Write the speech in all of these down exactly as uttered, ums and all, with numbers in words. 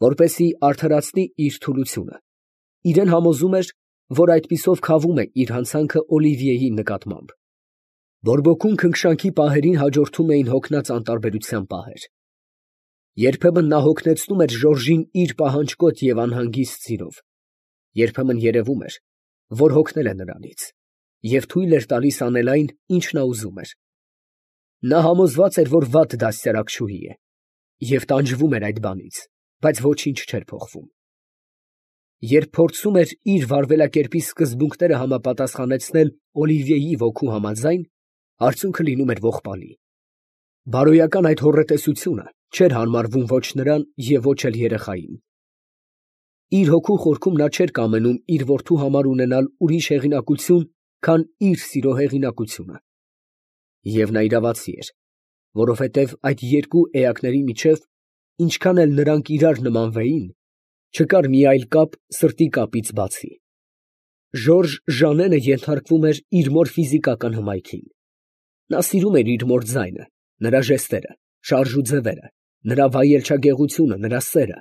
Որպեսզի արդարացնի իր թուլությունը, իրեն համոզում էր, որ այդպիսով քավում է իր հանցանքը Օլիվիեի նկատմամբ։ Բորբոքուն քնքշանքի պահերին հաջորդում էին հոգնած անտարբերության պահեր։ Երբեմն նա հոգնեցնում էր Ժորժին իր պահանջկոտ և անհանգիստ սիրով, երբեմն երևում էր, որ հոգնել է նրանից, և թույլ էր տալիս անել այն, ինչ նա ուզում էր։ Նա համոզված էր, որ վատ դաստիարակչուհի է, և տանջվում էր այդ բանից, բայց ոչինչ չէր փոխվում։ Երբ փորձում էր իր վարվելակերպի սկզբունքները համապատասխանեցնել Օլիվիեի ոգու համաձայն, արդյունքը լինում էր ողբալի։ Բարոյական այդ հոռետեսությունը չէր հարմարվում ոչ նրան և ոչ էլ երեխային։ Իր հոգու խորքում նա չէր կամենում իր որդու համար ունենալ ուրիշ հեղինակություն, քան իր սիրո հեղինակությունը։ Եվ նա իրավացի էր, որովհետև այդ երկու էակների միջև, ինչքան էլ նրանք իրար նմանվեին, չկար մի այլ կապ սրտի կապից բացի։ Ժորժ Ժանենը ենթարկվում էր իր մոր ֆիզիկական հմայքին։ Նա սիրում էր իր մոր ձայնը, նրա ժեստերը, շարժ ու ձևերը, նրա վայելչագեղությունը, նրա սերը։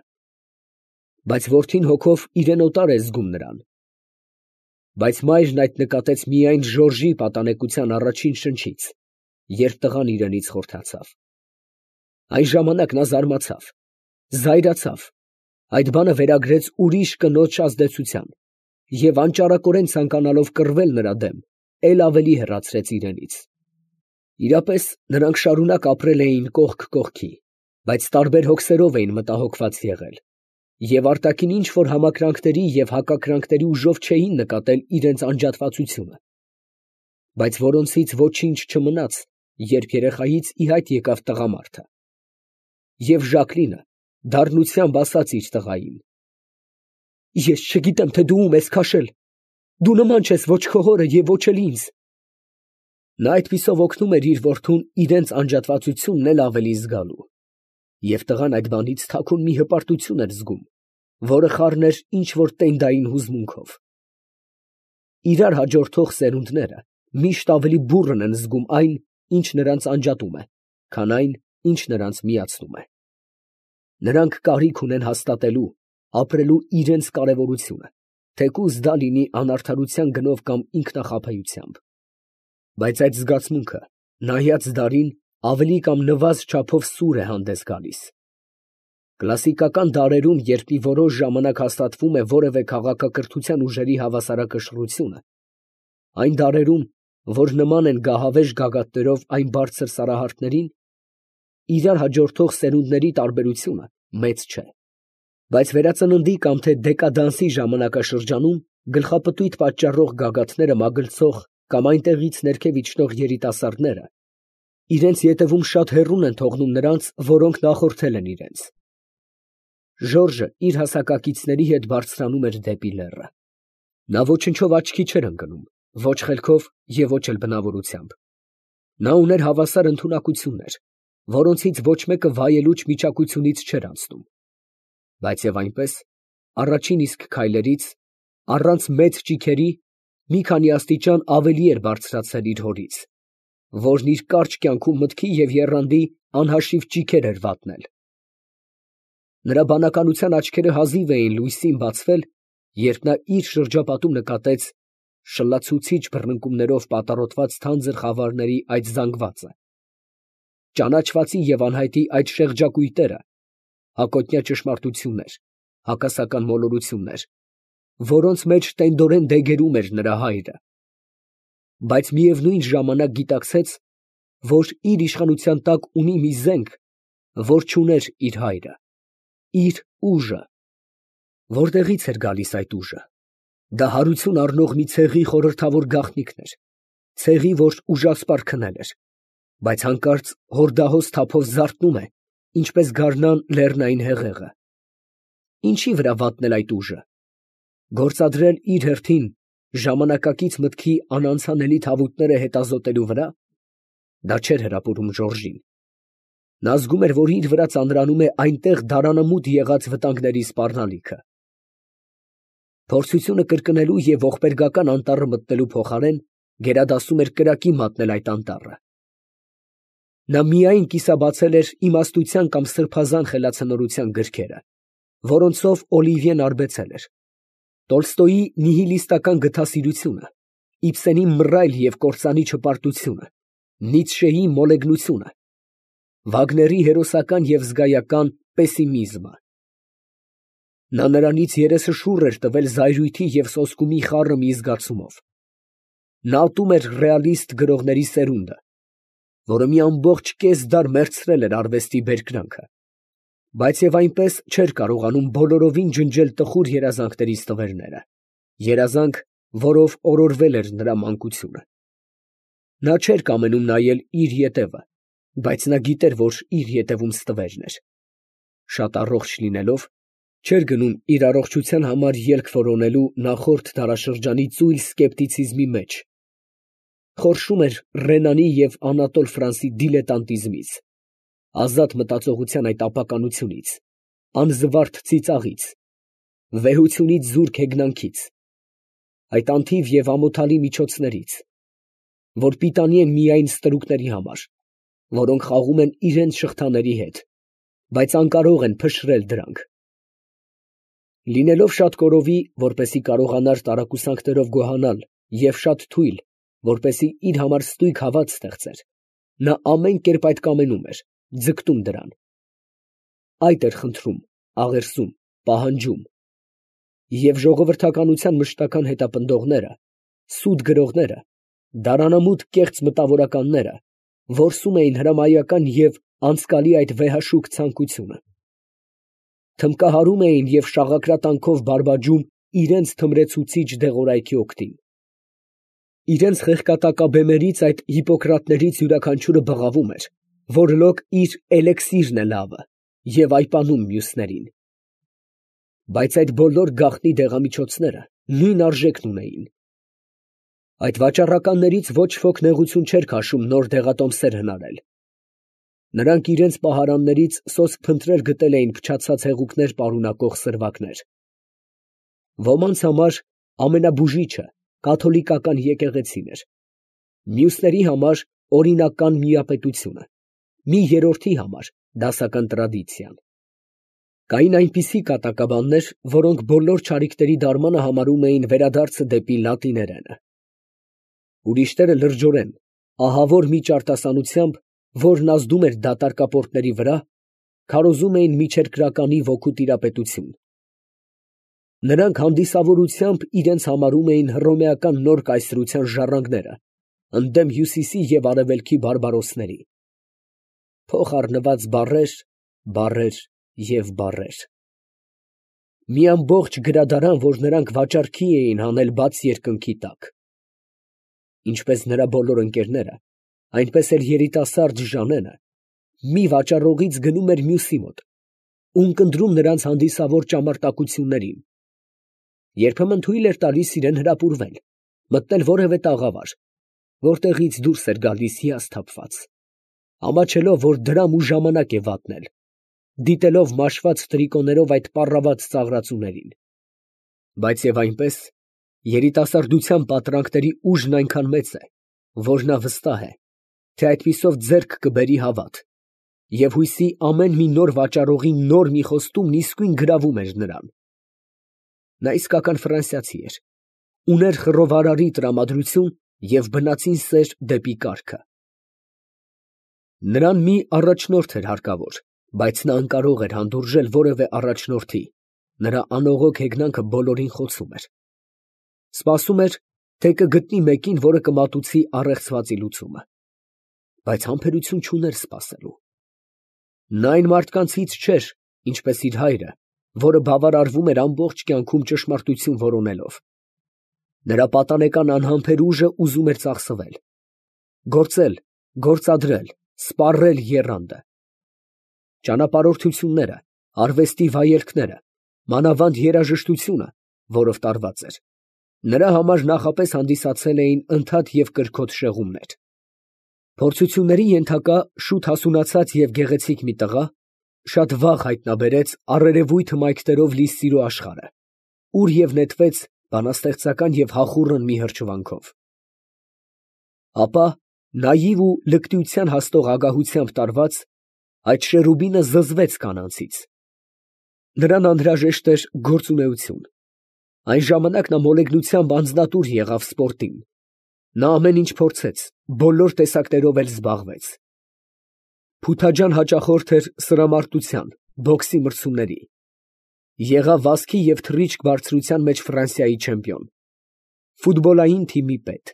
Բայց որդին հոգով իրան օտար է զգում նրան։ Բայց մայրն այդ նկատեց միայն Ժորժի պատանեկության առաջին շնչից, երբ տղան իրենից խորթացավ։ Այն ժամանակ նա զարմացավ, զայրացավ, այդ բանը վերագրեց ուրիշ կնոջ ազդեցության և անճարակորեն ցանկանալով կռվել նրա դեմ, էլ ավելի հեռացրեց իրենից։ Իրապես նրանք շարունակ ապրել էին կողք կողքի, բայց տարբեր հոգսերով էին մտահոգված եղել, և արտաքին ինչ որ համակրանքների և հակակրանքների ուժով չէին նկատել իրենց անջատվածությունը, բայց որոնցից ոչինչ չմնաց, երբ երեխայից ի հայտ եկավ տղամարդը։ Եվ Ժակլինը դառնությամբ ասաց իր տղային. «Ես չգիտեմ, թե դու ում ես քաշել, դու նման չես ոչ քո հորը և ոչ էլ ինձ»։ Նա այդպիսով օգնում էր իր որդուն իրենց անջատվածությունն էլ ավելի զգալու, և տղան այդ բանից թաքուն մի հպարտություն էր զգում, որը խառներ ինչ որ տենդային հուզմունքով։ Իրար հաջորդող սերունդները միշտ ավելի բուռն են զգում այն, ինչ նրանց անջատում է, քան այն, ինչ նրանց միացնում է։ Նրանք կարիք ունեն հաստատելու, ապրելու իրենց կարևորությունը, թեկուզ դա լինի անարդարության գնով կամ ինքնախաբեությամբ։ Բայց այդ զգացմունքը, նայած դարին, ավելի կամ նվազ չափով սուր է հանդես գալիս։ Կլասիկական դարերում, երբ մի որոշ ժամանակ հաստատվում է որևէ քաղաքակրթության ուժերի հավասարակշռությունը, այն դարերում, որ նման են գահավեժ գագաթներով այն բարձր սարահարթներին, իրար հաջորդող սերունդների տարբերությունը մեծ չէ։ Բայց վերածննդի կամ թե դեկադանսի ժամանակաշրջանում գլխապտույտ պատճառող գագաթները մագլցող կամ այնտեղից ներքև իջնող երիտասարդները իրենց ետևում շատ հեռուն են թողնում նրանց, որոնք նախորդել են իրենց։ Ժորժը իր հասակակիցների հետ բարձրանում էր դեպի լեռը։ Նա ոչնչով աչքի չէր ընկնում, ոչ խելքով և ոչ էլ բնավորությամբ։ Նա ուներ հավասար ընդունակություններ, որոնցից ոչ մեկը վայելուչ միջակությունից չէր անցնում։ Բայց և այնպես, առաջին իսկ քայլերից, առանց մեծ ճիգերի, մի քանի աստիճան ավելի էր բարձրացել իր հորից, որն իր կարճ կյանքում մտքի և եռանդի անհաշիվ ճիգեր էր վատնել։ Նրա բանականության աչքերը հազիվ էին լույսին բացվել, երբ նա իր շրջապատում նկատեց շլացուցիչ բռնկումներով պատառոտված թանձր խավարների այդ զանգվածը, ճանաչվածի և անհայտի այդ շեղջակույտերը, հակոտնյա ճշմարտություններ, հակասական մոլորություններ, որոնց մեջ տենդորեն դեգերում էր նրա հայրը, բայց միևնույն ժամանակ գիտակցեց, որ իր իշխանության տակ ունի մի զենք, որ չուներ իր հայրը, իր ուժը։ Որտեղի՞ց էր գալիս այդ ուժը։ Դա հարություն առնող մի ցեղի խորհրդավոր գաղտնիքն էր, ցեղի, որ ուժասպառ քնել էր, բայց հանկարծ հորդահոս թափով զարթնում է, ինչպես գարնան լեռնային հեղեղը։ Ինչի վրա վատնել այդ ուժը։ Գործադրել իր հերթին ժամանակակից մտքի անանցանելի թավուտները հետազոտելու վրա։ Դա չէր հրապուրում Ժորժին։ Նա զգում էր, որ իր վրա ծանրանում է այնտեղ դարանամուտ եղած վտանգների սպառնալիքը։ Փորձությունը կրկնելու և ողբերգական անտառը մտնելու փոխարեն գերադասում էր կրակի մատնել այդ անտառը։ Նա միայն կիսաբացել էր իմաստության կամ սրբազան խելացնորության գրքերը, որոնցով Օլիվիեն արբեցել էր, Տոլստոյի նիհիլիստական գթասիրությունը, Իբսենի մռայլ և կործանի չպարտությունը, Նիցշեի մոլեգնությունը, Վագների հերոսական և զգայական պեսիմիզմը։ Նա նրանից երեսը շուռ էր տվել զայրույթի և սոսկումի խառը մի զգացումով. նա ատում էր ռեալիստ գրողների սերունդը, որը մի ամբողջ կես դար մեռցրել էր արվեստի բերկրանքը, բայց և այնպես չէր կարողանում բոլորովին ջնջել տխուր երազանքների ստվերները, երազանք, որով օրորվել էր նրա մանկությունը։ Նա չէր կամենում նայել իր ետևը, բայց նա գիտեր, որ իր ետևում ստվերն էր. շատ առողջ լինելով, չէր գնում իր առողջության համար ելք որոնելու նախորդ դարաշրջանի ծույլ սկեպտիցիզմի մեջ, խորշում էր Ռենանի և Անատոլ Ֆրանսի դիլետանտիզմից, ազատ մտածողության այդ ապականությունից, անզվարթ ծիծաղից, վեհությունից զուրկ հեգնանքից, այդ անթիվ և ամոթալի միջոցներից, որ պիտանի են միայն ստրուկների համար, որոնք խաղում են իրենց շղթաների հետ, բայց անկարող են փշրել դրանք։ Լինելով շատ կորովի, որպեսզի կարողանար տարակուսանքներով գոհանալ, և շատ թույլ, որպեսզի իր համար ստույգ հավատ ստեղծեր, նա ամեն կերպ այդ կամենում էր, ձգտում դրան։ Այդ էր խնդրում, աղերսում, պահանջում, և ժողովրդականության մշտական հետապնդողները, սուտ գրողները, դարանամուտ կեղծ մտավորականները որսում էին հրամայական և անցկալի այդ վեհաշուկ ցանկությունը, թմբկահարում էին և շաղակրատանքով բարբաջում իրենց թմրեցուցիչ դեղորայքի օգտին։ Իրենց խեղկատակաբեմերից, այդ հիպոկրատներից յուրաքանչյուրը բղավում էր, որ լոկ իր էլեքսիրն է լավը, և այպանում մյուսներին։ Բայց այդ բոլոր գաղտնի դեղամիջոցները նույն արժեքն ունեին։ Այդ վաճառականներից ոչ ոք նեղություն չէր քաշում նոր դեղատոմսեր հնարել. նրանք իրենց պահարաններից սոսկ փնտրել գտել էին փչացած հեղուկներ պարունակող սրվակներ։ Ոմանց համար ամենաբուժիչը կաթոլիկական եկեղեցին էր, մյուսների համար օրինական միապետությունը, մի երրորդի համար դասական տրադիցիան։ Կային այնպիսի կատակաբաններ, որոնք բոլոր չարիքների դարմանը համարում էին վերադարձը դեպի լատիներենը։ Ուրիշները լրջորեն, ահավոր մի ճարտասանությամբ, որն ազդում էր դատարկապորտների վրա, քարոզում էին միջերկրականի ոգու տիրապետություն։ Նրանք հանդիսավորությամբ իրենց համարում էին հռոմեական նոր կայսրության ժառանգները, ընդդեմ հյուսիսի և արևելքի բարբարոսների։ Փոխառնված բառեր, բառեր և բառեր… Մի ամբողջ գրադարան, որ նրանք վաճառքի էին հանել բաց երկնքի տակ։ Ինչպես նրա բոլոր ընկերները, այնպես էլ երիտասարդ Ժանենը մի վաճառողից գնում էր մյուսի մոտ, ունկնդրում նրանց հանդիսավոր ճամարտակություններին, երբեմն թույլ էր տալիս իրան հրապուրվել, մտնել որևէ տաղավար, որտեղից դուրս էր գալիս հիասթափված, ամաչելով, որ դրամ ու ժամանակ է վատնել, դիտելով մաշված տրիկոներով այդ պառաված ծաղրածուներին։ Բայց և այնպես, երիտասարդության պատրանքների ուժն այնքան մեծ է, որ նա վստահ է, թե այդպիսով ձեռք կբերի հավատ, և հույսի ամեն մի նոր վաճառողի նոր մի խոստումն իսկույն գրավում էր նրան։ Նա իսկական ֆրանսիացի էր, ուներ խռովարարի տրամադրություն և բնածին սեր դեպի կարգը։ Նրան մի առաջնորդ էր հարկավոր, բայց նա անկարող էր հանդուրժել որևէ առաջնորդի, նրա անողոք հեգնանքը բոլորին խոցում էր։ Սպասում էր, թե կգտնի մեկին, որը կմատուցի առեղծվածի լուծումը, բայց համբերություն չուներ սպասելու։ Նա այն մարդկանցից չէր, ինչպես իր հայրը, որը բավարարվում էր ամբողջ կյանքում ճշմարտություն որոնելով։ Նրա պատանեկան անհամբեր ուժը ուզում էր ծախսվել, գործել, գործադրել, սպառել եռանդը։ Ճանապարհորդությունները, արվեստի վայելքները, մանավանդ երաժշտությունը, որով տարված էր, նրա համար նախապես հանդիսացել էին ընդհատ և կրքոտ շեղումներ։ Փորձությունների ենթակա շուտ հասունացած և գեղեցիկ մի տղա շատ վաղ հայտնաբերեց առերևույթ հմայքներով լի սիրո աշխարհը, ուր և նետվեց բանաստեղծական և հախուռն մի հրճվանքով։ Ապա, նաիվ ու լկտիության հասնող ագահությամբ տարված, այդ շերուբինը զզվեց կանանցից, Նրան անհրաժեշտ էր գործունեություն։ Այն ժամանակ նա մոլեգնությամբ անձնատուր եղավ սպորտին։ Նա ամեն ինչ փորձեց, բոլոր տեսակներով էլ զբաղվեց։ Փութաջան հաճախորդ էր սրամարտության, բոքսի մրցումների։ Եղավ վազքի և թռիչք բարձրության մեջ Ֆրանսիայի չեմպիոն, ֆուտբոլային թիմի պետ։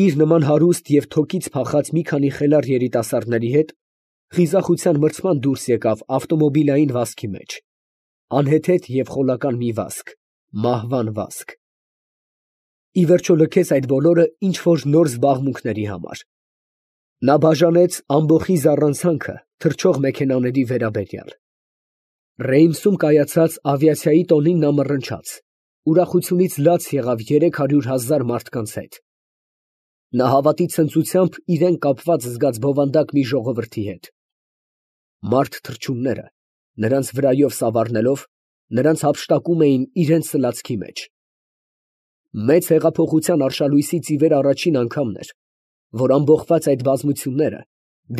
Իր նման հարուստ և թոկից փախած մի քանի խելառ երիտասարդների հետ խիզախության մրցման դուրս եկավ ավտոմոբիլային վազքի մեջ, անհեթեթ և խոլական մի վազք, մահվան վազք։ Ի վերջո լքեց այդ բոլորը ինչ֊որ նոր զբաղմունքների համար։ Նա բաժանեց ամբոխի զառանցանքը թռչող մեքենաների վերաբերյալ։ Ռեյմսում կայացած ավիացիայի տոնին նա մռնչաց, ուրախությունից լաց եղավ երեք հարյուր հազար մարդկանց հետ։ Նա հավատի ցնծությամբ իրան կապված զգաց բովանդակ մի ժողովրդի հետ։ Մարդ թռչունները, նրանց վրայով սավառնելով, նրանց հափշտակում էին իրենց սլացքի մեջ։ Մեծ հեղափոխության արշալույսից ի վեր առաջին անգամն էր, որ ամբոխված այդ բազմությունները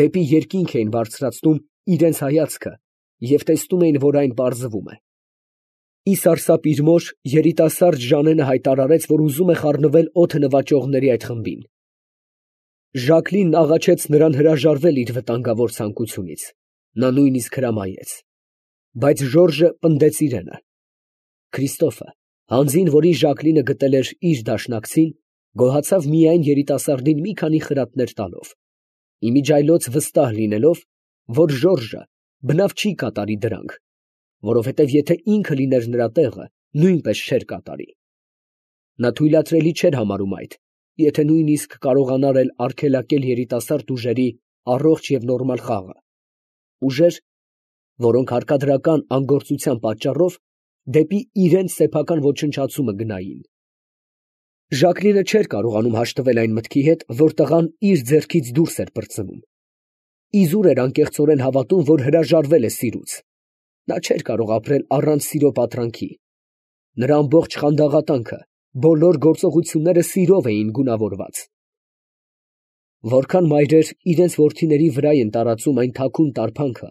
դեպի երկինք էին բարձրացնում իրենց հայացքը և տեսնում էին, որ այն պարզվում է։ Ի սարսափ իր մոր, երիտասարդ Ժանենը հայտարարեց, որ ուզում է խառնվել օդը նվաճողների այդ խմբին։ Ժակլինն աղաչեց նրան հրաժարվել իր վտանգավոր ցանկությունից, նա նույնիսկ հրամայեց։ Բայց Ժորժը պնդեց իրանը։ Քրիստոֆը, հանձին, որին Ժակլինը գտել էր իր դաշնակցին, գոհացավ միայն երիտասարդին մի քանի խրատներ տալով, իմիջիայլոց վստահ լինելով, որ Ժորժը բնավ չի կատարի դրանք, որովհետև եթե ինքը լիներ նրա տեղը, նույնպես չէր կատարի։ Նա թույլատրելի չէր համարում այդ, եթե նույնիսկ կարողանար էլ արգելակել երիտասարդ ուժերի առողջ և նորմալ խաղը, ուժեր, որոնք հարկադրական անգործության պատճառով դեպի իրենց սեփական ոչնչացումը գնային։ Ժակլինը չէր կարողանում հաշտվել այն մտքի հետ, որ տղան իր ձեռքից դուրս էր պրծնում։ Իզուր էր անկեղծորեն հավատում, որ հրաժարվել է սիրուց։ Նա չէր կարող ապրել առանց սիրո պատրանքի։ Նրա ամբողջ խանդաղատանքը, բոլոր գործողությունները սիրով էին գունավորված։ Որքան մայրեր իրենց որդիների վրա են տարածում այն թաքուն տարփանքը,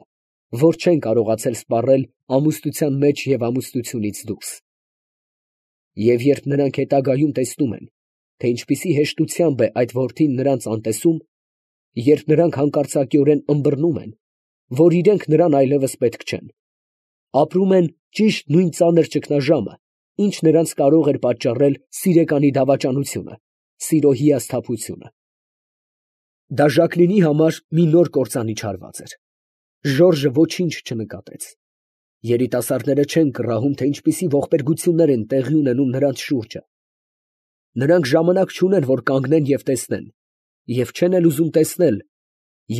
որ չեն կարողացել սպառել ամուսնության մեջ և ամուսնությունից դուրս։ Եվ երբ նրանք հետագայում տեսնում են, թե ինչպիսի հեշտությամբ է այդ որդին նրանց անտեսում, երբ նրանք հանկարծակիորեն ըմբռնում են, որ իրենք նրան այլևս պետք չեն, ապրում են ճիշտ նույն ծանր ճգնաժամը, ինչ նրանց կարող էր պատճառել սիրեկանի դավաճանությունը, սիրո հիասթափությունը։ Դա Ժակլինի համար մի նոր կործանիչ հարված էր։ Ժորժը ոչինչ չնկատեց։ Երիտասարդները չեն կռահում, թե ինչպիսի ողբերգություններ են տեղի ունենում նրանց շուրջը։ Նրանք ժամանակ չունեն, որ կանգնեն և տեսնեն, և չեն էլ ուզում տեսնել,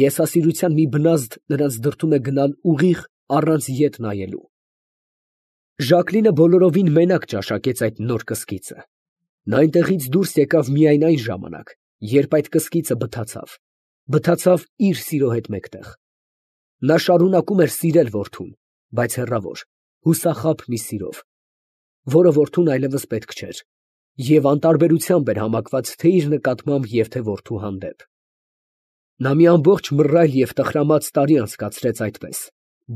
եսասիրության մի բնազդ նրանց դրդում է գնալ ուղիղ առանց ետ նայելու։ Ժակլինը բոլորովին մենակ ճաշակեց այդ նոր կսկիծը։ Նա այնտեղից դուրս եկավ միայն այն ժամանակ, երբ այդ կսկիծը բթացավ, բթացավ իր սիրո հետ մեկտեղ։ Նա շարունակում էր սիրել որդուն, բայց հեռավոր, հուսախաբ մի սիրով, որը որդուն այլևս պետք չէր, և անտարբերությամբ էր համակված թե իր նկատմամբ և թե որդու հանդեպ։ Նա մի ամբողջ մռայլ և տխրամած տարի անցկացրեց այդպես,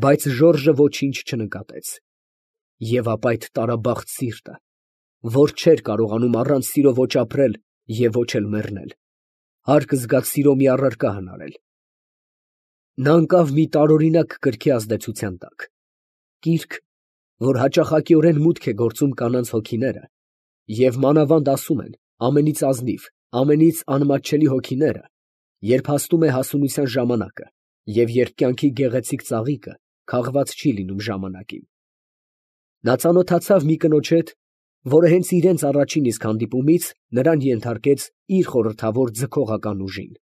բայց Ժորժը ոչինչ չնկատեց։ Եվ ապա այդ տարաբախտ սիրտը, որ չէր կարողանում առանց սիրո ոչ ապրել և ոչ էլ մեռնել, հարկ զգաց սիրո մի առարկա հնարել։ Նա ընկավ մի տարօրինակ կրքի ազդեցության տակ, կիրք, որ հաճախակիորեն մուտք է գործում կանանց հոգիները, և մանավանդ ասում են ամենից ազնիվ, ամենից անմատչելի հոգիները, երբ հասնում է հասունության ժամանակը և երբ կյանքի գեղեցիկ ծաղիկը քաղված չի լինում ժամանակին։ Նա ծանոթացավ մի կնոջ հետ, որը հենց իրենց առաջին իսկ հանդիպումից նրան ենթարկեց իր խորհրդավոր ձգողական ուժին։